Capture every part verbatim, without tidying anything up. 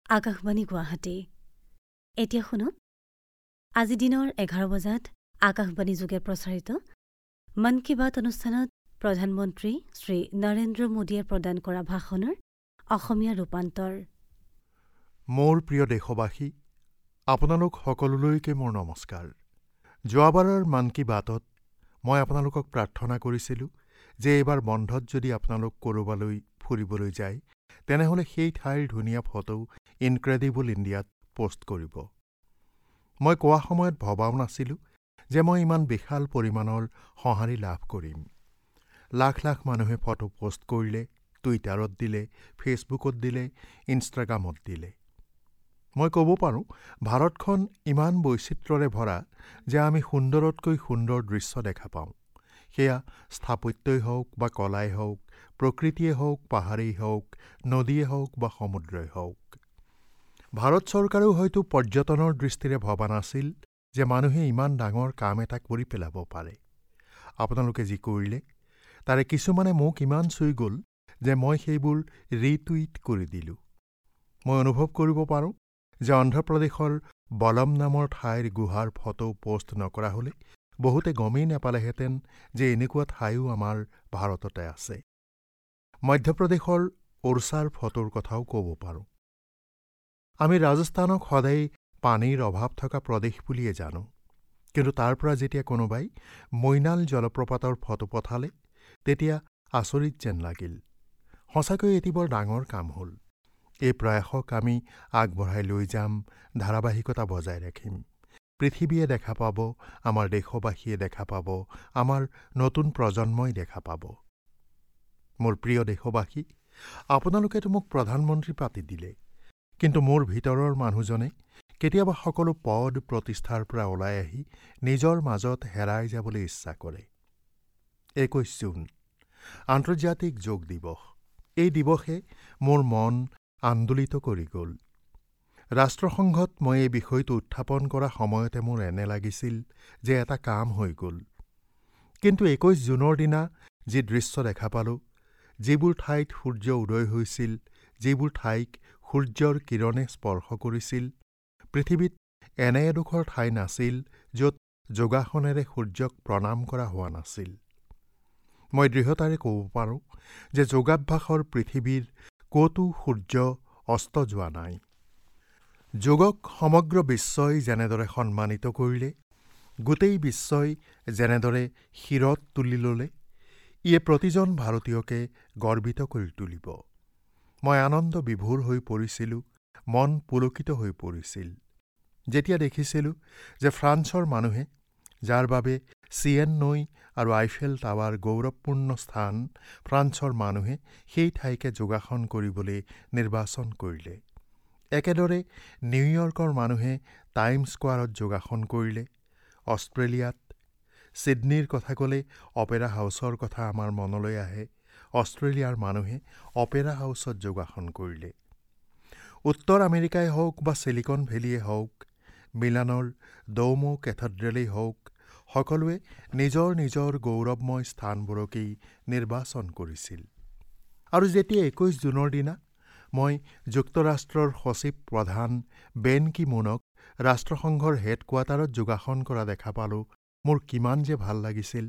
আকাশবাণী গুৱাহাটী। এতিয়া শুনক আজি দিনৰ এঘাৰ বজাত আকাশবাণী যোগে প্ৰচাৰিত মন কী বাত অনুষ্ঠানত প্ৰধানমন্ত্ৰী শ্ৰী নৰেন্দ্ৰ মোদীয়ে প্ৰদান কৰা ভাষণৰ অসমীয়া ৰূপান্তৰ। মোৰ প্ৰিয় দেশবাসী, আপোনালোক সকলোলৈকে মোৰ নমস্কাৰ। যোৱাবাৰৰ মন কী বাতত মই আপোনালোকক প্ৰাৰ্থনা কৰিছিলোঁ যে এইবাৰ বন্ধত যদি আপোনালোক ক'ৰবালৈ ফুৰিবলৈ যায়, তেনেহ'লে সেই ঠাইৰ ধুনীয়া ফটো ইনক্ৰেডিবল ইণ্ডিয়াত পোষ্ট কৰিব। মই কোৱা সময়ত ভবাও নাছিলোঁ যে মই ইমান বিশাল পৰিমাণৰ সঁহাৰি লাভ কৰিম। লাখ লাখ মানুহে ফটো পোষ্ট কৰিলে, টুইটাৰত দিলে, ফেচবুকত দিলে, ইনষ্টাগ্ৰামত দিলে। মই ক'ব পাৰোঁ, ভাৰতখন ইমান বৈচিত্ৰ্যৰে ভৰা যে আমি সুন্দৰতকৈ সুন্দৰ দৃশ্য দেখা পাওঁ। সেয়া স্থাপত্যই হওক বা কলাই হওক, প্ৰকৃতিয়ে হওক, পাহাৰেই হওক, নদীয়ে হওক বা সমুদ্ৰই হওক। ভাৰত চৰকাৰেও হয়তো পৰ্যটনৰ দৃষ্টিৰে ভবা নাছিল যে মানুহে ইমান ডাঙৰ কাম এটা কৰি পেলাব পাৰে। আপোনালোকে যি কৰিলে, তাৰে কিছুমানে মোক ইমান চুই গ'ল যে মই সেইবোৰ ৰিটুইট কৰি দিলোঁ। মই অনুভৱ কৰিব পাৰোঁ যে অন্ধ্ৰপ্ৰদেশৰ বলম নামৰ ঠাইৰ গুহাৰ ফটো পোষ্ট নকৰা হ'লে বহুতে গমেই নাপালেহেঁতেন যে এনেকুৱা ঠাইও আমাৰ ভাৰততে আছে। মধ্যপ্ৰদেশৰ ওড়ছাৰ ফটোৰ কথাও ক'ব পাৰোঁ। আমি ৰাজস্থানক সদায় পানীৰ অভাৱ থকা প্ৰদেশ বুলিয়ে জানো, কিন্তু তাৰ পৰা যেতিয়া কোনোবাই মৈনাল জলপ্ৰপাতৰ ফটো পঠালে, তেতিয়া আচৰিত যেন লাগিল। সঁচাকৈ এটি বৰ ডাঙৰ কাম হ'ল। এই প্ৰয়াসক আমি আগবঢ়াই লৈ যাম, ধাৰাবাহিকতা বজাই ৰাখিম। পৃথিৱীয়ে দেখা পাব, আমাৰ দেশবাসীয়ে দেখা পাব, আমাৰ নতুন প্ৰজন্মই দেখা পাব। মোৰ প্ৰিয় দেশবাসী, আপোনালোকেতো মোক প্ৰধানমন্ত্ৰী পাতি দিলে, কিন্তু মোৰ ভিতৰৰ মানুহজনে কেতিয়াবা সকলো পদ প্ৰতিষ্ঠাৰ পৰা ওলাই আহি নিজৰ মাজত হেৰাই যাবলৈ ইচ্ছা কৰে। একৈছ জুন আন্তৰ্জাতিক যোগ দিৱস। এই দিৱসে মোৰ মন আন্দোলিত কৰি গ'ল। ৰাষ্ট্ৰসংঘত মই এই বিষয়টো উত্থাপন কৰা সময়তে মোৰ এনে লাগিছিল যে এটা কাম হৈ গ'ল। কিন্তু একৈছ জুনৰ দিনা যি দৃশ্য দেখা পালোঁ, যিবোৰ ঠাইত সূৰ্য উদয় হৈছিল, যিবোৰ ঠাইক সূৰ্যৰ কিৰণে স্পৰ্শ কৰিছিল, পৃথিৱীত এনে এডোখৰ ঠাই নাছিল য'ত যোগাসনেৰে সূৰ্যক প্ৰণাম কৰা হোৱা নাছিল। মই দৃঢ়তাৰে ক'ব পাৰোঁ যে যোগাভ্যাসৰ পৃথিৱীৰ ক'তো সূৰ্য অস্ত যোৱা নাই। যোগক সমগ্ৰ বিশ্বই যেনেদৰে সন্মানিত কৰিলে, গোটেই বিশ্বই যেনেদৰে শিৰত তুলি ল'লে, ইয়ে প্ৰতিজন ভাৰতীয়কে গৰ্বিত কৰি তুলিব। মই আনন্দ বিভোৰ হৈ পৰিছিলোঁ, মন পুলকিত হৈ পৰিছিল যেতিয়া দেখিছিলোঁ যে ফ্ৰান্সৰ মানুহে, যাৰ বাবে চিয়েন নৈ আৰু আইফেল টাৱাৰ গৌৰৱপূৰ্ণ স্থান, ফ্ৰান্সৰ মানুহে সেই ঠাইকে যোগাসন কৰিবলৈ নিৰ্বাচন কৰিলে। একেদৰে নিউয়ৰ্কৰ মানুহে টাইম স্কোৱাৰত যোগাসন কৰিলে। অষ্ট্ৰেলিয়াত ছিডনীৰ কথা ক'লে অপেৰা হাউচৰ কথা আমাৰ মনলৈ আহে। অষ্ট্ৰেলিয়াৰ মানুহে অপেৰা হাউচত যোগাসন কৰিলে। উত্তৰ আমেৰিকাই হওক বা চিলিকন ভেলীয়ে হওক, মিলানৰ ডৌমো কেথেড্ৰেলেই হওক, সকলোৱে নিজৰ নিজৰ গৌৰৱময় স্থানবোৰকেই নিৰ্বাচন কৰিছিল। আৰু যেতিয়া একৈছ জুনৰ দিনা মই যুক্তৰাষ্ট্ৰৰ সচিব প্ৰধান বেন কি মুনক ৰাষ্ট্ৰসংঘৰ হেডকোৱাৰ্টাৰত যোগাসন কৰা দেখা পালোঁ, মোৰ কিমান যে ভাল লাগিছিল।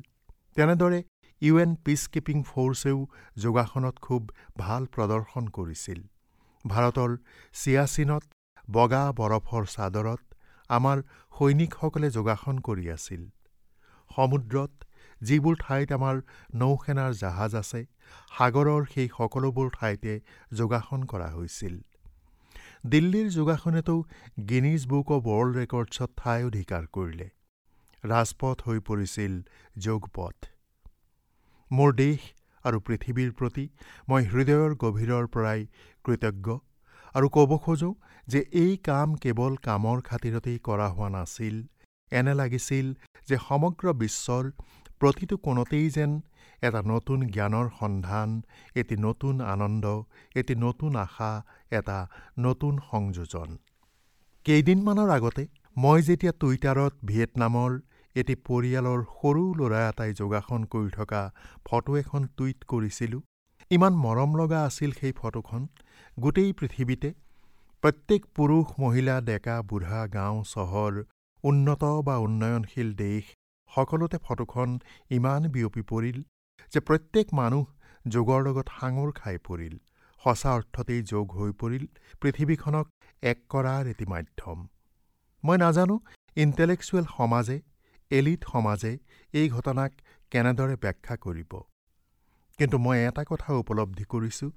তেনেদৰে ইউ এন পিচকিপিং ফ'ৰ্চেও যোগাসনত খুব ভাল প্ৰদৰ্শন কৰিছিল। ভাৰতৰ চিয়াচিনত বগা বৰফৰ চাদৰত আমাৰ সৈনিকসকলে যোগাসন কৰি আছিল। সমুদ্ৰত যিবোৰ ঠাইত আমাৰ নৌসেনাৰ জাহাজ আছে, সাগৰৰ সেই সকলোবোৰ ঠাইতে যোগাসন কৰা হৈছিল। দিল্লীৰ যোগাসনেতো গিনিজ বুক অৱ ৱৰ্ল্ড ৰেকৰ্ডছত ঠাই অধিকাৰ কৰিলে। ৰাজপথ হৈ পৰিছিল যোগপথ। মোৰ দেশ আৰু পৃথিৱীৰ প্ৰতি মই হৃদয়ৰ গভীৰৰ পৰাই কৃতজ্ঞ আৰু ক'ব খোজোঁ যে এই কাম কেৱল কামৰ খাতিৰতেই কৰা হোৱা নাছিল। এনে লাগিছিল যে সমগ্ৰ বিশ্বৰ প্ৰতিটো কোণতেই যেন এটা নতুন জ্ঞানৰ সন্ধান, এটি নতুন আনন্দ, এটি নতুন আশা, এটা নতুন সংযোজন। কেইদিনমানৰ আগতে মই যেতিয়া টুইটাৰত ভিয়েটনামৰ এটি পৰিয়ালৰ সৰু ল'ৰা এটাই যোগাসন কৰি থকা ফটো এখন টুইট কৰিছিলোঁ, ইমান মৰম লগা আছিল সেই ফটোখন। গোটেই পৃথিৱীতে প্ৰত্যেক পুৰুষ, মহিলা, ডেকা, বুঢ়া, গাঁও, চহৰ, উন্নত বা উন্নয়নশীল দেশ সকলোতে ফটোখন ইমান বিয়পি পৰিল যে প্ৰত্যেক মানুহ যোগৰ লগত সাঙুৰ খাই পৰিল। সঁচা অৰ্থতেই যোগ হৈ পৰিল পৃথিৱীখনক এক কৰাৰ এটি মাধ্যম। মই নাজানো ইণ্টেলেকচুৱেল সমাজে, এলিট সমাজে এই ঘটনাক কেনেদৰে ব্যাখ্যা কৰিব, কিন্তু মই এটা কথা উপলব্ধি কৰিছোঁ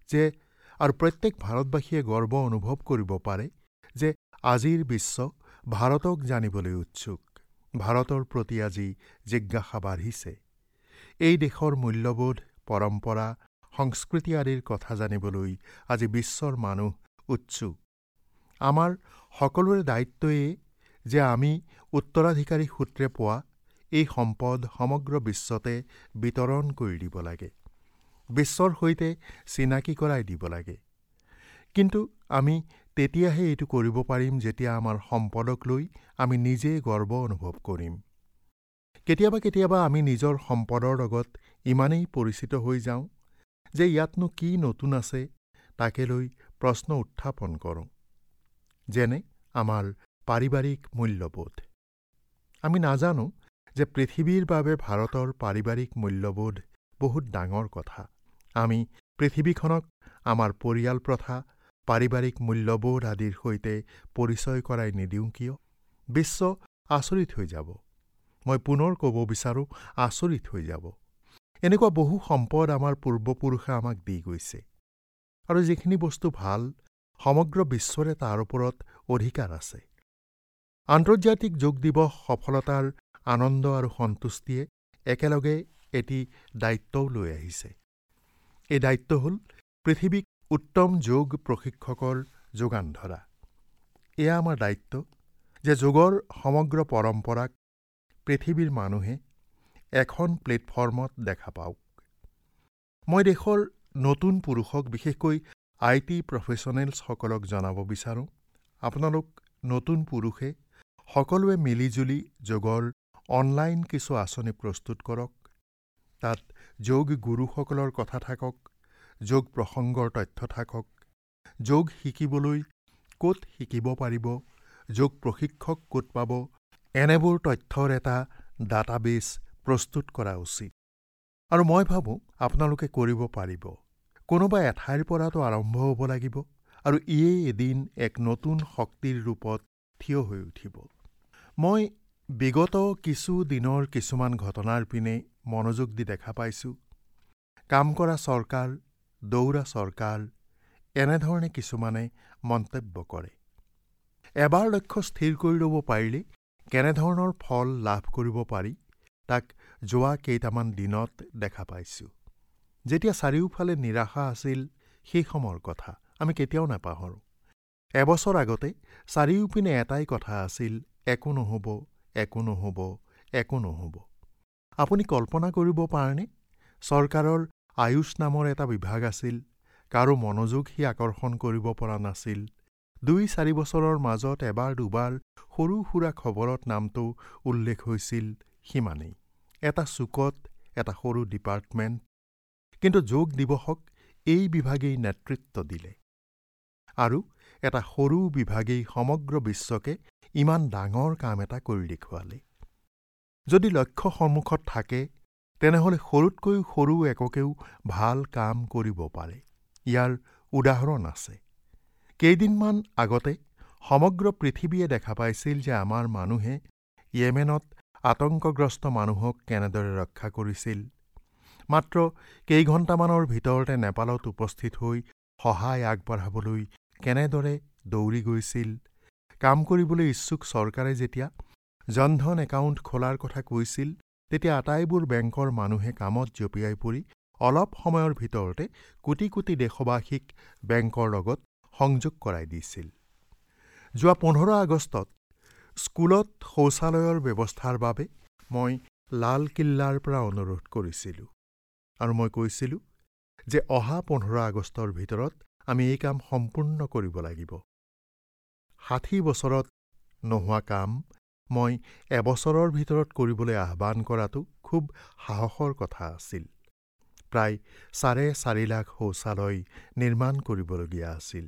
যে আৰু প্ৰত্যেক ভাৰতবাসীয়ে গৰ্ব অনুভৱ কৰিব পাৰে যে আজিৰ বিশ্ব ভাৰতক জানিবলৈ উৎসুক, ভাৰতৰ প্ৰতি আজি জিজ্ঞাসা বাঢ়িছে। এই দেশৰ মূল্যবোধ, পৰম্পৰা, সংস্কৃতি আদিৰ কথা জানিবলৈ আজি বিশ্বৰ মানুহ উৎসুক। আমাৰ সকলোৰে দায়িত্বই যে আমি উত্তৰাধিকাৰী সূত্ৰে পোৱা এই সম্পদ সমগ্ৰ বিশ্বতে বিতৰণ কৰি দিব লাগে, বিশ্বৰ সৈতে চিনাকি কৰাই দিব লাগে। কিন্তু আমি তেতিয়াহে এইটো কৰিব পাৰিম যেতিয়া আমাৰ সম্পদক লৈ আমি নিজে গৰ্ব অনুভৱ কৰিম। কেতিয়াবা কেতিয়াবা আমি নিজৰ সম্পদৰ লগত ইমানেই পৰিচিত হৈ যাওঁ যে ইয়াতনো কি নতুন আছে তাকে লৈ প্ৰশ্ন উত্থাপন কৰোঁ, যেনে আমাৰ পাৰিবাৰিক মূল্যবোধ। আমি নাজানো যে পৃথিৱীৰ বাবে ভাৰতৰ পাৰিবাৰিক মূল্যবোধ বহুত ডাঙৰ কথা। আমি পৃথিৱীখনক আমাৰ পৰিয়াল প্ৰথা, পাৰিবাৰিক মূল্যবোধ আদিৰ সৈতে পৰিচয় কৰাই নিদিওঁ কিয়? বিশ্ব আচৰিত হৈ যাব। মই পুনৰ ক'ব বিচাৰোঁ, আচৰিত হৈ যাব। এনেকুৱা বহু সম্পদ আমাৰ পূৰ্বপুৰুষে আমাক দি গৈছে, আৰু যিখিনি বস্তু ভাল সমগ্ৰ বিশ্বৰে তাৰ ওপৰত অধিকাৰ আছে। আন্তৰ্জাতিক যোগ দিৱস সফলতাৰ আনন্দ আৰু সন্তুষ্টিয়ে একেলগে এটি দায়িত্বও লৈ আহিছে। এই দায়িত্ব হ'ল পৃথিৱীক উত্তম যোগ প্ৰশিক্ষকৰ যোগান ধৰা। এয়া আমাৰ দায়িত্ব যে যোগৰ সমগ্ৰ পৰম্পৰাক পৃথিৱীৰ মানুহে এখন প্লেটফৰ্মত দেখা পাওক। মই দেশৰ নতুন পুৰুষক, বিশেষকৈ I T প্ৰফেচনেলছসকলক জনাব বিচাৰোঁ, আপোনালোক নতুন পুৰুষে সকলোৱে মিলিজুলি যোগৰ অনলাইন কিছু আঁচনি প্ৰস্তুত কৰক। তাত যোগ গুৰুসকলৰ কথা থাকক, যোগ প্ৰসংগৰ তথ্য থাকক, যোগ শিকিবলৈ ক'ত শিকিব পাৰিব, যোগ প্ৰশিক্ষক ক'ত পাব, এনেবোৰ তথ্যৰ এটা ডাটাবেছ প্ৰস্তুত কৰা উচিত। আৰু মই ভাবোঁ আপোনালোকে কৰিব পাৰিব। কোনোবা এঠাইৰ পৰাতো আৰম্ভ হ'ব লাগিব, আৰু ইয়েই এদিন এক নতুন শক্তিৰ ৰূপত থিয় হৈ উঠিব। মই বিগত কিছু দিনৰ কিছুমান ঘটনাৰ পিনে মনোযোগ দি দেখা পাইছোঁ, কাম কৰা চৰকাৰ, দৌৰা চৰকাৰ, এনেধৰণে কিছুমানে মন্তব্য কৰে। এবাৰ লক্ষ্য স্থিৰ কৰি ল'ব পাৰিলে কেনেধৰণৰ ফল লাভ কৰিব পাৰি তাক যোৱা কেইটামান দিনত দেখা পাইছোঁ। যেতিয়া চাৰিওফালে নিৰাশা আছিল সেই সময়ৰ কথা আমি কেতিয়াও নাপাহৰোঁ। এবছৰ আগতে চাৰিওপিনে এটাই কথা আছিল, একো নহ'ব, একো নহ'ব, একো নহ'ব। আপুনি কল্পনা কৰিব পাৰেনে? চৰকাৰৰ আয়ুষ নামৰ এটা বিভাগ আছিল, কাৰো মনোযোগ সি আকৰ্ষণ কৰিব পৰা নাছিল। দুই চাৰি বছৰৰ মাজত এবাৰ দুবাৰ সৰু সুৰা খবৰত নামটো উল্লেখ হৈছিল, সিমানেই। এটা চুকত এটা সৰু ডিপাৰ্টমেণ্ট। কিন্তু যোগ দিৱসক এই বিভাগেই নেতৃত্ব দিলে, আৰু এটা সৰু বিভাগেই সমগ্ৰ বিশ্বকে ইমান ডাঙৰ কাম এটা কৰি দেখুৱালে। যদি লক্ষ্য সন্মুখত থাকে তেনেহ'লে সৰুতকৈ সৰু এককেও ভাল কাম কৰিব পাৰে। ইয়াৰ উদাহৰণ আছে। কেইদিনমান আগতে সমগ্ৰ পৃথিৱীয়ে দেখা পাইছিল যে আমাৰ মানুহে য়েমেনত আতংকগ্ৰস্ত মানুহক কেনেদৰে ৰক্ষা কৰিছিল। মাত্ৰ কেইঘণ্টামানৰ ভিতৰতে নেপালত উপস্থিত হৈ সহায় আগবঢ়াবলৈ কেনেদৰে দৌৰি গৈছিল। কাম কৰিবলৈ ইচ্ছুক চৰকাৰে যেতিয়া জনধন একাউণ্ট খোলাৰ কথা কৈছিল, তেতিয়া আটাইবোৰ বেংকৰ মানুহে কামত জঁপিয়াই পৰি অলপ সময়ৰ ভিতৰতে কোটি কোটি দেশবাসীক বেংকৰ লগত সংযোগ কৰাই দিছিল। যোৱা পোন্ধৰ আগষ্টত স্কুলত শৌচালয়ৰ ব্যৱস্থাৰ বাবে মই লালকিল্লাৰ পৰা অনুৰোধ কৰিছিলোঁ, আৰু মই কৈছিলোঁ যে অহা পোন্ধৰ আগষ্টৰ ভিতৰত আমি এই কাম সম্পূৰ্ণ কৰিব লাগিব। ষাঠি বছৰত নোহোৱা কাম মই এবছৰৰ ভিতৰত কৰিবলৈ আহ্বান কৰাটো খুব সাহসৰ কথা আছিল। প্ৰায় চাৰে চাৰি লাখ শৌচালয় নিৰ্মাণ কৰিবলগীয়া আছিল।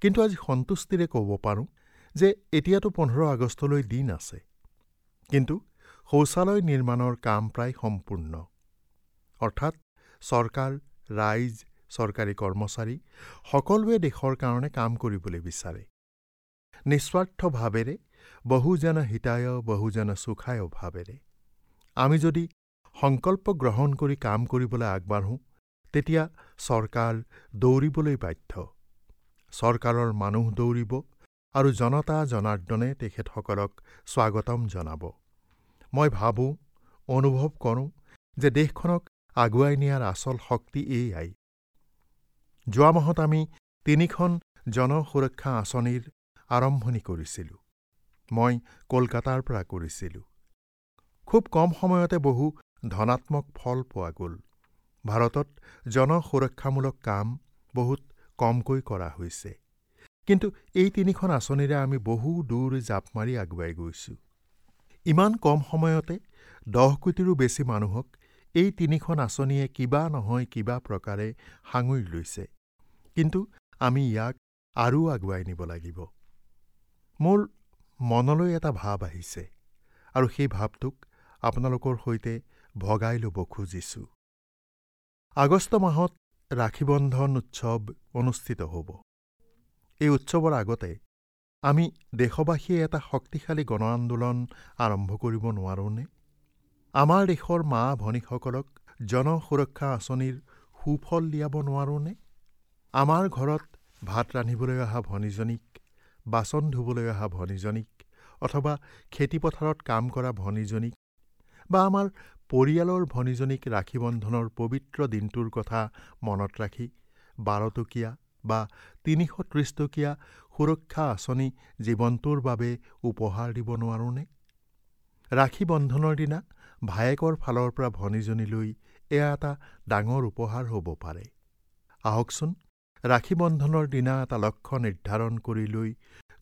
কিন্তু আজি সন্তুষ্টিৰে ক'ব পাৰোঁ যে এতিয়াতো পোন্ধৰ আগষ্টলৈ দিন আছে, কিন্তু শৌচালয় নিৰ্মাণৰ কাম প্ৰায় সম্পূৰ্ণ। অৰ্থাৎ চৰকাৰ, ৰাইজ, চৰকাৰী কৰ্মচাৰী সকলোৱে দেশৰ কাৰণে কাম কৰিবলৈ বিচাৰে। নিস্বাৰ্থ ভাৱেৰে, বহুজন হিতায় বহুজন সুখায় ভাৱেৰে আমি যদি সংকল্প গ্ৰহণ কৰি কাম কৰিবলৈ আগবাঢ়োঁ, তেতিয়া চৰকাৰ দৌৰিবলৈ বাধ্য। চৰকাৰৰ মানুহ দৌৰিব আৰু জনতা জনাৰ্দনে তেখেতসকলক স্বাগতম জনাব। মই ভাবোঁ, অনুভৱ কৰোঁ যে দেশখনক আগুৱাই নিয়াৰ আচল শক্তি এয়াই। যোৱা মাহত আমি তিনিখন জনসুৰক্ষা আঁচনিৰ আৰম্ভণি কৰিছিলোঁ। মই কলকাতাৰ পৰা কৰিছিলোঁ। খুব কম সময়তে বহু ধনাত্মক ফল পোৱা গ'ল। ভাৰতত জনসুৰক্ষামূলক কাম বহুত কমকৈ কৰা হৈছে, কিন্তু এই তিনিখন আঁচনিৰে আমি বহু দূৰ জাপ মাৰি আগুৱাই গৈছোঁ। ইমান কম সময়তে দহ কোটিৰো বেছি মানুহক এই তিনিখন আঁচনিয়ে কিবা নহয় কিবা প্ৰকাৰে সাঙুৰি লৈছে। কিন্তু আমি ইয়াক আৰু আগুৱাই নিব লাগিব। মোৰ মনলৈ এটা ভাৱ আহিছে আৰু সেই ভাৱটোক আপোনালোকৰ সৈতে ভগাই ল'ব খুজিছোঁ। আগষ্ট মাহত ৰাখী বন্ধন উৎসৱ অনুষ্ঠিত হ'ব। এই উৎসৱৰ আগতে আমি দেশবাসীয়ে এটা শক্তিশালী গণ আন্দোলন আৰম্ভ কৰিব নোৱাৰোঁনে? আমাৰ দেশৰ মা ভনীসকলক জনসুৰক্ষা আঁচনিৰ সুফল দিয়াব নোৱাৰোঁনে? আমাৰ ঘৰত ভাত ৰান্ধিবলৈ অহা ভনীজনীক, বাচন ধুবলৈ অহা ভনীজনীক, অথবা খেতিপথাৰত কাম কৰা ভনীজনীক বা আমাৰ পৰিয়ালৰ ভনীজনীক ৰাখী বন্ধনৰ পবিত্ৰ দিনটোৰ কথা মনত ৰাখি বাৰটকীয়া বা তিনিশ ত্ৰিছ টকীয়া সুৰক্ষা আঁচনি জীৱনটোৰ বাবে উপহাৰ দিব নোৱাৰোঁনে? ৰাখী বন্ধনৰ দিনা ভায়েকৰ ফালৰ পৰা ভনীজনীলৈ এয়া এটা ডাঙৰ উপহাৰ হ'ব পাৰে। আহকচোন, ৰাখী বন্ধনৰ দিনা এটা লক্ষ্য নিৰ্ধাৰণ কৰি লৈ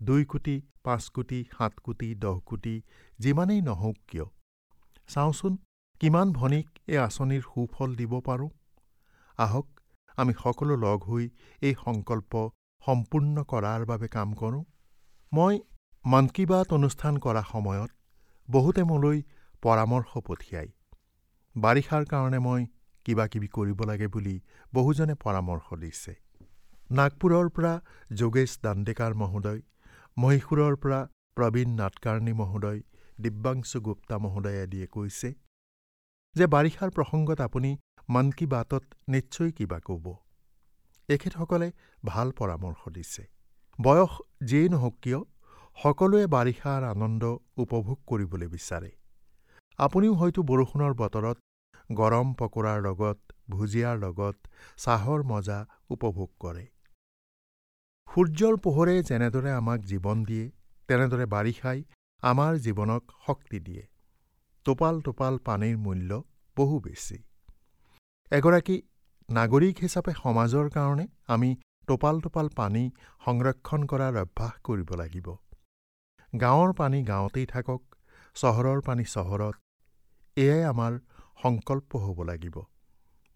দুই কোটি, পাঁচ কোটি, সাত কোটি, দহ কোটি যিমানেই নহওক কিয়, চাওঁচোন কিমান ভনীক এই আঁচনিৰ সুফল দিব পাৰোঁ। আহক আমি সকলো লগ হৈ এই সংকল্প সম্পূৰ্ণ কৰাৰ বাবে কাম কৰোঁ। মই মন কী বাত অনুষ্ঠান কৰা সময়ত বহুতে মোলৈ পৰামৰ্শ পঠিয়ায়। বাৰিষাৰ কাৰণে মই কিবা কিবি কৰিব লাগে বুলি বহুজনে পৰামৰ্শ দিছে। নাগপুৰৰ পৰা যোগেশ দাণ্ডেকাৰ মহোদয়, মহীশূৰৰ পৰা প্ৰবীণ নাটকাৰ্ণী মহোদয়, দিব্যাংশু গুপ্তা মহোদয় আদিয়ে কৈছে যে বাৰিষাৰ প্ৰসংগত আপুনি মন কী বাতত নিশ্চয় কিবা ক'ব। এখেতসকলে ভাল পৰামৰ্শ দিছে। বয়স যিয়েই নহওক কিয়, সকলোৱে বাৰিষাৰ আনন্দ উপভোগ কৰিবলৈ বিচাৰে। আপুনিও হয়তো বৰষুণৰ বতৰত গৰম পকোৰাৰ লগত, ভুজিয়াৰ লগত চাহৰ মজা উপভোগ কৰে। সূৰ্যৰ পোহৰে যেনেদৰে আমাক জীৱন দিয়ে, তেনেদৰে বাৰিষাই আমাৰ জীৱনক শক্তি দিয়ে। টোপাল টোপাল পানীৰ মূল্য বহু বেছি। এগৰাকী নাগৰিক হিচাপে সমাজৰ কাৰণে আমি টোপাল টোপাল পানী সংৰক্ষণ কৰাৰ অভ্যাস কৰিব লাগিব। গাঁৱৰ পানী গাঁৱতেই থাকক, চহৰৰ পানী চহৰত, এয়াই আমাৰ সংকল্প হ'ব লাগিব।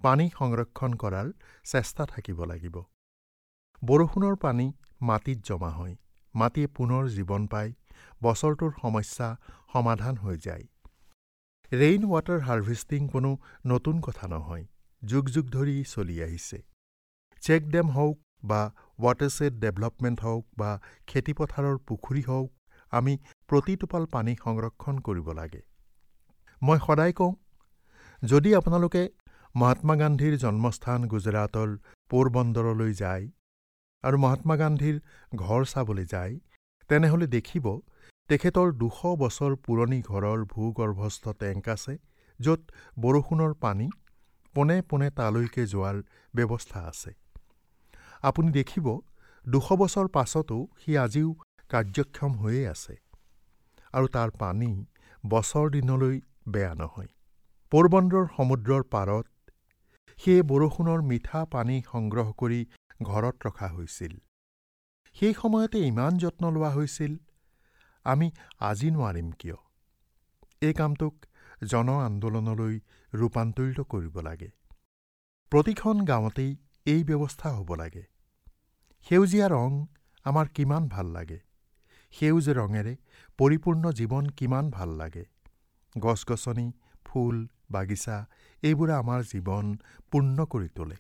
পানী সংৰক্ষণ কৰাৰ চেষ্টা থাকিব লাগিব। বৰষুণৰ পানী মাটিত জমা হয়, মাটিয়ে পুনৰ জীৱন পায়, বছৰটোৰ সমস্যা সমাধান হৈ যায়। ৰেইন ৱাটাৰ হাৰ্ভেষ্টিং কোনো নতুন কথা নহয়, যুগ যুগ ধৰি চলি আহিছে। চেক ডেম হওক বা ৱাটাৰশ্বেড ডেভেলপমেণ্ট হওক বা খেতিপথাৰৰ পুখুৰী হওক, আমি প্ৰতি টোপাল পানী সংৰক্ষণ কৰিব লাগে। মই সদায় কওঁ, যদি আপোনালোকে মহাত্মা গান্ধীৰ জন্মস্থান গুজৰাটৰ পোৰবন্দৰলৈ যায় আৰু মহাত্মা গান্ধীৰ ঘৰ চাবলৈ যায়, তেনেহ'লে দেখিব তেখেতৰ দুশ বছৰ পুৰণি ঘৰৰ ভূগৰ্ভস্থ টেংক আছে, য'ত বৰষুণৰ পানী পোনে পোনে তালৈকে যোৱাৰ ব্যৱস্থা আছে। আপুনি দেখিব দুশ বছৰ পাছতো সি আজিও কাৰ্যক্ষম হৈয়ে আছে আৰু তাৰ পানী বছৰ দিনলৈ বেয়া নহয়। পোৰবন্দৰ সমুদ্ৰৰ পাৰত সেই বৰষুণৰ মিঠা পানী সংগ্ৰহ কৰি ঘৰত ৰখা হৈছিল। সেই সময়তে ইমান যত্ন লোৱা হৈছিল, আমি আজি নোৱাৰিম কিয়? এই কামটোক জন আন্দোলনলৈ ৰূপান্তৰিত কৰিব লাগে। প্ৰতিখন গাঁৱতেই এই ব্যৱস্থা হ'ব লাগে। সেউজীয়া ৰং আমাৰ কিমান ভাল লাগে। সেউজ ৰঙেৰে পৰিপূৰ্ণ জীৱন কিমান ভাল লাগে। গছ গছনি, ফুল, বাগিচা এইবোৰে আমাৰ জীৱন পূৰ্ণ কৰি তোলে।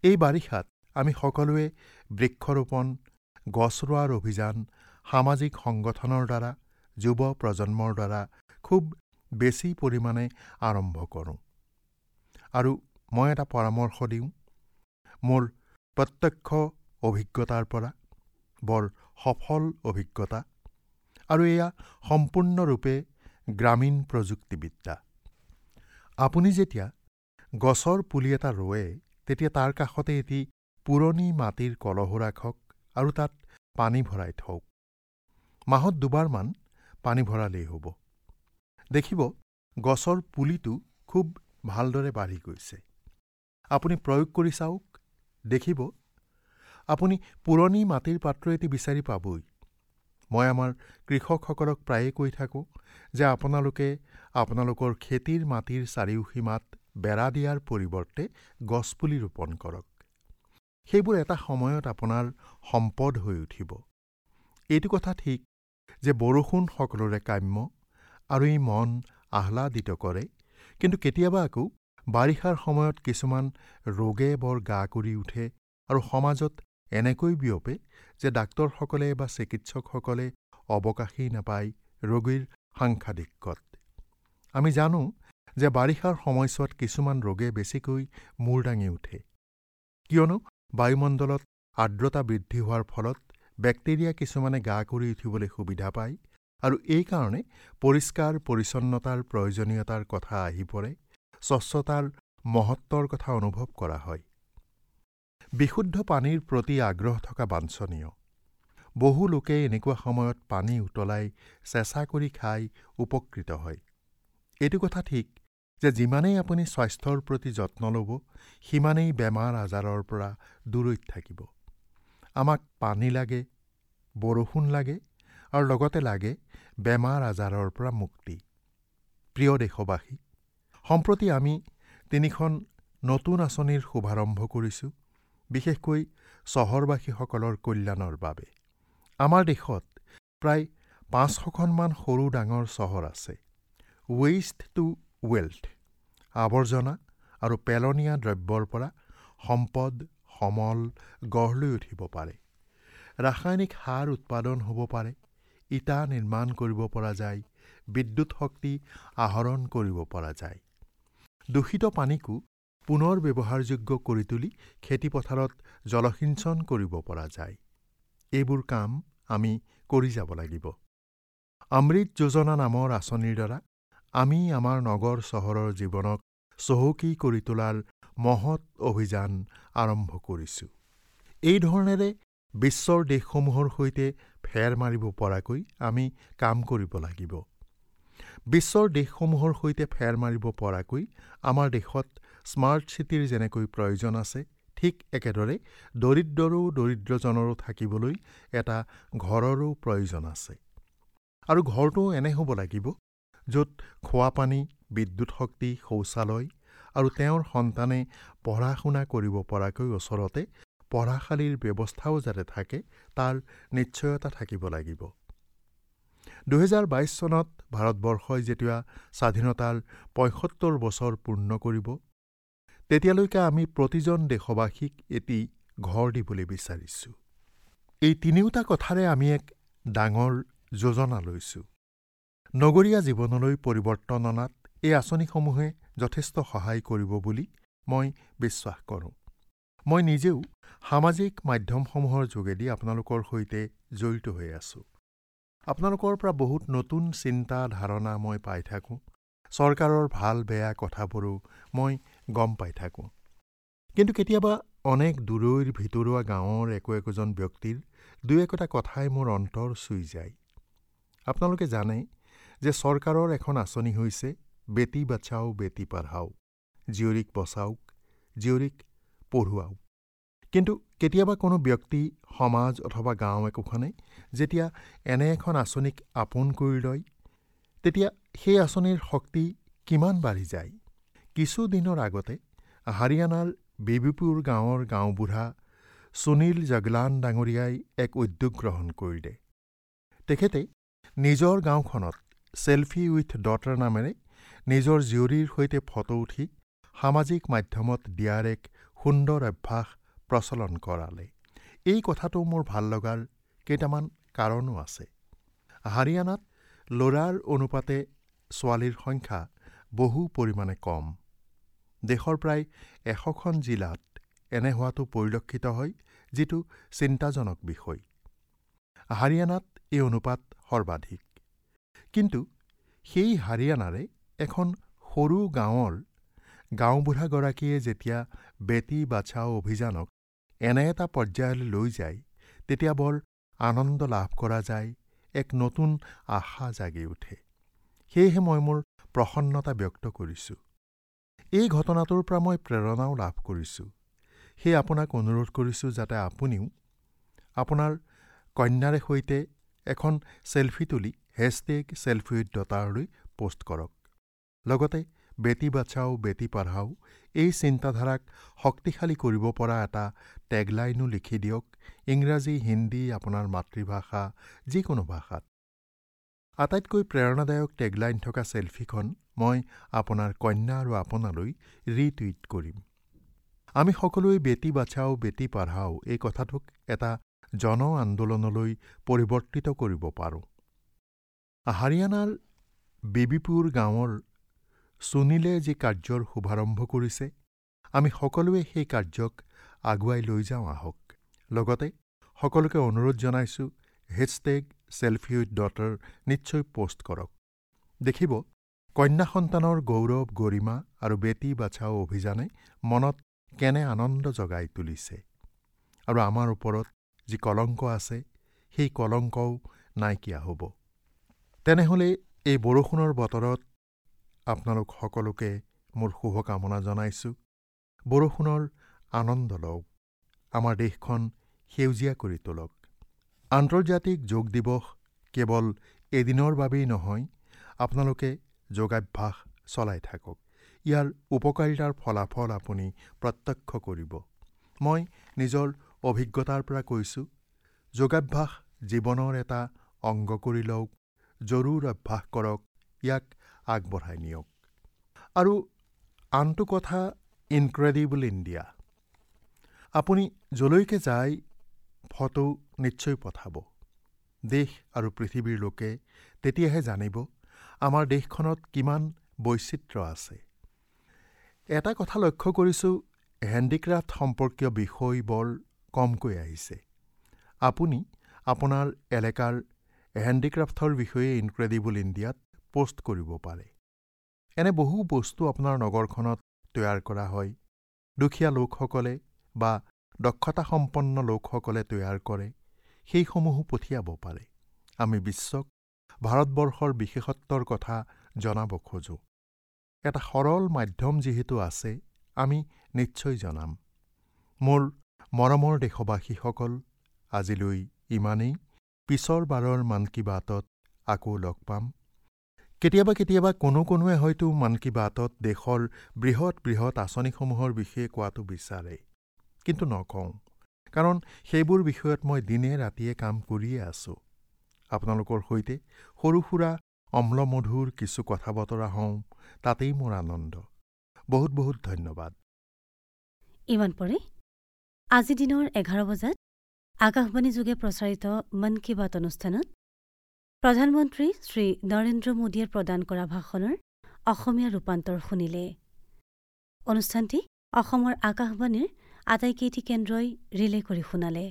এই বাৰিষাত আমি সকলোৱে বৃক্ষৰোপণ, গছ ৰোৱাৰ অভিযান সামাজিক সংগঠনৰ দ্বাৰা, যুৱ প্ৰজন্মৰ দ্বাৰা খুব বেছি পৰিমাণে আৰম্ভ কৰোঁ। আৰু মই এটা পৰামৰ্শ দিওঁ, মোৰ প্ৰত্যক্ষ অভিজ্ঞতাৰ পৰা, বৰ সফল অভিজ্ঞতা, আৰু এয়া সম্পূৰ্ণৰূপে গ্ৰামীণ প্ৰযুক্তিবিদ্যা। আপুনি যেতিয়া গছৰ পুলি এটা ৰোৱে, তেতিয়া তাৰ কাষতে এটি পুৰণি মাটিৰ কলহো ৰাখক আৰু তাত পানী ভৰাই থওক। মাহত দুবাৰমান পানী ভৰালেই হ'ব। দেখিব গছৰ পুলিটো খুব ভালদৰে বাঢ়ি গৈছে। আপুনি প্ৰয়োগ কৰি চাওক, দেখিব আপুনি পুৰণি মাটিৰ পাত্ৰ এটি বিচাৰি পাবই। মই আমাৰ কৃষকসকলক প্ৰায়ে কৈ থাকোঁ যে আপোনালোকে আপোনালোকৰ খেতিৰ মাটিৰ চাৰিওসীমাত বেৰা দিয়াৰ পৰিৱৰ্তে গছপুলি ৰোপণ কৰক। সেইবোৰ এটা সময়ত আপোনাৰ সম্পদ হৈ উঠিব। এইটো কথা ঠিক যে বৰষুণ সকলোৰে কাম্য আৰু ই মন আহ্লাদিত কৰে, কিন্তু কেতিয়াবা আকৌ বাৰিষাৰ সময়ত কিছুমান ৰোগে বৰ গা কৰি উঠে আৰু সমাজত এনেকৈ বিয়পে যে ডাক্তৰসকলে বা চিকিৎসকসকলে অৱকাশেই নাপায় ৰোগীৰ সাংসাধিক্যত। আমি জানো যে বাৰিষাৰ সময়ছোৱাত কিছুমান ৰোগে বেছিকৈ মূৰ দাঙি উঠে, কিয়নো বায়ুমণ্ডলত আৰ্দ্ৰতা বৃদ্ধি হোৱাৰ ফলত বেক্টেৰিয়া কিছুমানে গা কৰি উঠিবলৈ সুবিধা পায় আৰু এইকাৰণে পৰিষ্কাৰ পৰিচ্ছন্নতাৰ প্ৰয়োজনীয়তাৰ কথা আহি পৰে, স্বচ্ছতাৰ মহত্বৰ কথা অনুভৱ কৰা হয়। বিশুদ্ধ পানীৰ প্ৰতি আগ্ৰহ থকা বাঞ্ছনীয়। বহু লোকে এনেকুৱা সময়ত পানী উতলাই চেঁচা কৰি খাই উপকৃত হয়। এইটো কথা ঠিক যে যিমানেই আপুনি স্বাস্থ্যৰ প্ৰতি যত্ন ল'ব, সিমানেই বেমাৰ আজাৰৰ পৰা দূৰৈত থাকিব। আমাক পানী লাগে, বৰষুণ লাগে আৰু লগতে লাগে বেমাৰ আজাৰৰ পৰা মুক্তি। প্ৰিয় দেশবাসী, সম্প্ৰতি আমি তিনিখন নতুন আঁচনিৰ শুভাৰম্ভ কৰিছোঁ, বিশেষকৈ চহৰবাসীসকলৰ কল্যাণৰ বাবে। আমাৰ দেশত প্ৰায় পাঁচশখনমান সৰু ডাঙৰ চহৰ আছে। ৱেষ্ট টু ৱেল্থ, আৱৰ্জনা আৰু পেলনীয়া দ্ৰব্যৰ পৰা সম্পদ, সমল গঢ় লৈ উঠিব পাৰে। ৰাসায়নিক সাৰ উৎপাদন হ'ব পাৰে, ইটা নিৰ্মাণ কৰিব পৰা যায়, বিদ্যুৎ শক্তি আহৰণ কৰিব পৰা যায়। দূষিত পানীকো পুনৰ ব্যৱহাৰযোগ্য কৰি তুলি খেতিপথাৰত জলসিঞ্চন কৰিব পৰা যায়। এইবোৰ কাম আমি কৰি যাব লাগিব। অমৃত যোজনা নামৰ আঁচনিৰ দ্বাৰা আমি আমাৰ নগৰ চহৰৰ জীৱনক চহকী কৰি তোলাৰ মহৎ অভিযান আৰম্ভ কৰিছোঁ। এই ধৰণেৰে বিশ্বৰ দেশসমূহৰ সৈতে ফেৰ মাৰিব পৰাকৈ আমি কাম কৰিব লাগিব। বিশ্বৰ দেশসমূহৰ সৈতে ফেৰ মাৰিব পৰাকৈ আমাৰ দেশত স্মাৰ্ট চিটিৰ যেনেকৈ প্ৰয়োজন আছে, ঠিক একেদৰে দৰিদ্ৰৰো দৰিদ্ৰজনৰো থাকিবলৈ এটা ঘৰৰো প্ৰয়োজন আছে। আৰু ঘৰটো এনে হ'ব লাগিব য'ত খোৱাপানী, বিদ্যুৎ শক্তি, শৌচালয় আৰু তেওঁৰ সন্তানে পঢ়া শুনা কৰিব পৰাকৈ ওচৰতে পঢ়াশালীৰ ব্যৱস্থাও যাতে থাকে তাৰ নিশ্চয়তা থাকিব লাগিব। দুহেজাৰ বাইছ চনত ভাৰতবৰ্ষই যেতিয়া স্বাধীনতাৰ পঁয়সত্তৰ বছৰ পূৰ্ণ কৰিব, তেতিয়ালৈকে আমি প্ৰতিজন দেশবাসীক এটি ঘৰ দিবলৈ বিচাৰিছোঁ। এই তিনিওটা কথাৰে আমি এক ডাঙৰ যোজনা লৈছোঁ। নগৰীয়া জীৱনলৈ পৰিৱৰ্তন অনাত এই আঁচনিসমূহে যথেষ্ট সহায় কৰিব বুলি মই বিশ্বাস কৰোঁ। মই নিজেও সামাজিক মাধ্যমসমূহৰ যোগেদি আপোনালোকৰ সৈতে জড়িত হৈ আছোঁ। আপোনালোকৰ পৰা বহুত নতুন চিন্তা ধাৰণা মই পাই থাকোঁ। চৰকাৰৰ ভাল বেয়া কথাবোৰো মই গম পাই থাকোঁ। কিন্তু কেতিয়াবা অনেক দূৰৈৰ ভিতৰুৱা গাঁৱৰ একো একোজন ব্যক্তিৰ দুই একোটা কথাই মোৰ অন্তৰ চুই যায়। আপোনালোকে জানে যে চৰকাৰৰ এখন আঁচনি হৈছে বেটী বচাও বেটী পঢ়াও, জীয়ৰীক বচাওক জীয়ৰীক পঢ়ুৱাওক। কিন্তু কেতিয়াবা কোনো ব্যক্তি, সমাজ অথবা গাঁও একোখনে যেতিয়া এনে এখন আঁচনিক আপোন কৰি লয়, তেতিয়া সেই আঁচনিৰ শক্তি কিমান বাঢ়ি যায়। কিছুদিনৰ আগতে হাৰিয়ানাৰ বিবিপুৰ গাঁৱৰ গাঁওবুঢ়া সুনীল জগলান ডাঙৰীয়াই এক উদ্যোগ গ্ৰহণ কৰিলে। তেখেতে নিজৰ গাঁওখনত চেলফি উইথ ডটাৰ নামেৰে নিজৰ জীয়ৰীৰ সৈতে ফটো উঠি সামাজিক মাধ্যমত দিয়াৰ এক সুন্দৰ অভ্যাস প্ৰচলন কৰালে। এই কথাটো মোৰ ভাল লগাৰ কেইটামান কাৰণো আছে। হাৰিয়ানাত ল'ৰাৰ অনুপাতে ছোৱালীৰ সংখ্যা বহু পৰিমাণে কম। দেশৰ প্ৰায় এশখন জিলাত এনে হোৱাটো পৰিলক্ষিত হয়, যিটো চিন্তাজনক বিষয়। হাৰিয়ানাত এই অনুপাত সৰ্বাধিক। কিন্তু সেই হাৰিয়ানাৰে এখন সৰু গাঁৱৰ গাঁওবুঢ়াগৰাকীয়ে যেতিয়া বেটী বাচাও অভিযানক এনে এটা পৰ্যায়লৈ লৈ যায়, তেতিয়া বৰ আনন্দ লাভ কৰা যায়, এক নতুন আশা জাগি উঠে। সেয়েহে মই মোৰ প্ৰসন্নতা ব্যক্ত কৰিছোঁ। এই ঘটনাটোৰ পৰা মই প্ৰেৰণাও লাভ কৰিছোঁ। সেয়ে আপোনাক অনুৰোধ কৰিছোঁ যাতে আপুনিও আপোনাৰ কন্যাৰে সৈতে এখন চেলফি তুলি হেছটেগ চেলফি উইথ ডটাৰলৈ পোষ্ট কৰক। লগতে বেটী বাচাও বেটী পঢ়াও এই চিন্তাধাৰাক শক্তিশালী কৰিব পৰা এটা টেগলাইনো লিখি দিয়ক, ইংৰাজী, হিন্দী, আপোনাৰ মাতৃভাষা, যিকোনো ভাষাত। আটাইতকৈ প্ৰেৰণাদায়ক টেগলাইন থকা চেলফিখন মই আপোনাৰ কন্যা আৰু আপোনালৈ ৰিটুইট কৰিম। আমি সকলোৱে বেটী বাচাও বেটী পঢ়াও এই কথাটোক এটা জন আন্দোলনলৈ পৰিৱৰ্তিত কৰিব পাৰোঁ। হাৰিয়ানাৰ বিবিপুৰ গাঁৱৰ সুনীলে যি কাৰ্যৰ শুভাৰম্ভ কৰিছে, আমি সকলোৱে সেই কাৰ্যক আগুৱাই লৈ যাওঁ আহক। লগতে সকলোকে অনুৰোধ জনাইছোঁ, হেছটেগ চেলফি উইথ ডটাৰ নিশ্চয় পোষ্ট কৰক। দেখিব কন্যা সন্তানৰ গৌৰৱ, গৰিমা আৰু বেটী বাচাও অভিযানে মনত কেনে আনন্দ জগাই তুলিছে আৰু আমাৰ ওপৰত যি কলংক আছে সেই কলংকও নাইকিয়া হ'ব। তেনেহ'লে এই বৰষুণৰ বতৰত আপোনালোক সকলোকে মোৰ শুভকামনা জনাইছোঁ। বৰষুণৰ আনন্দ লওক, আমাৰ দেশখন সেউজীয়া কৰি তোলক। আন্তৰ্জাতিক যোগ দিৱস কেৱল এদিনৰ বাবেই নহয়, আপোনালোকে যোগাভ্যাস চলাই থাকক। ইয়াৰ উপকাৰিতাৰ ফলাফল আপুনি প্ৰত্যক্ষ কৰিব। মই নিজৰ অভিজ্ঞতাৰ পৰা কৈছোঁ, যোগাভ্যাস জীৱনৰ এটা অংগ কৰি লওক, জৰুৰ অভ্যাস কৰক, ইয়াক আগবঢ়াই নিয়ক। আৰু আনটো কথা, ইনক্ৰেডিবল ইণ্ডিয়া। আপুনি যলৈকে যায় ফটো নিশ্চয় পঠাব। দেশ আৰু পৃথিৱীৰ লোকে তেতিয়াহে জানিব আমাৰ দেশখনত কিমান বৈচিত্ৰ্য আছে। এটা কথা লক্ষ্য কৰিছোঁ, হেণ্ডিক্ৰাফ্ট সম্পৰ্কীয় বিষয় বৰ কমকৈ আহিছে। আপুনি আপোনাৰ এলেকাৰ হেণ্ডিক্ৰাফ্টৰ বিষয়ে ইনক্ৰেডিবল ইণ্ডিয়াত পোষ্ট কৰিব পাৰে। এনে বহু বস্তু আপোনাৰ নগৰখনত তৈয়াৰ কৰা হয়, দুখীয়া লোকসকলে বা দক্ষতাসম্পন্ন লোকসকলে তৈয়াৰ কৰে, সেইসমূহো পঠিয়াব পাৰে। আমি বিশ্বক ভাৰতবৰ্ষৰ বিশেষত্বৰ কথা জনাব খোজোঁ। এটা সৰল মাধ্যম যিহেতু আছে, আমি নিশ্চয় জনাম। মোৰ মৰমৰ দেশবাসীসকল, আজিলৈ ইমানেই। পিছৰ বাৰৰ মন কী বাতত আকৌ লগ পাম। কেতিয়াবা কেতিয়াবা কোনো কোনোৱে হয়তো মন কী বাতত দেশৰ বৃহৎ বৃহৎ আঁচনিসমূহৰ বিষয়ে কোৱাটো বিচাৰে, কিন্তু নকওঁ, কাৰণ সেইবোৰ বিষয়ত মই দিনে ৰাতিয়ে কাম কৰিয়ে আছোঁ। আপোনালোকৰ সৈতে সৰু সুৰা অম্লমধুৰ কিছু কথা বতৰা হওঁ, তাতেই মোৰ আনন্দ। বহুত বহুত ধন্যবাদ। ইমান পৰে আজি দিনৰ এঘাৰ বজাত আকাশবাণী যোগে প্ৰচাৰিত মন কী বাত অনুষ্ঠানত প্ৰধানমন্ত্ৰী শ্ৰী নৰেন্দ্ৰ মোদীয়ে প্ৰদান কৰা ভাষণৰ অসমীয়া ৰূপান্তৰ শুনিলে। অনুষ্ঠানটি অসমৰ আকাশবাণীৰ আটাইকেইটি কেন্দ্ৰই ৰিলে কৰি শুনালে।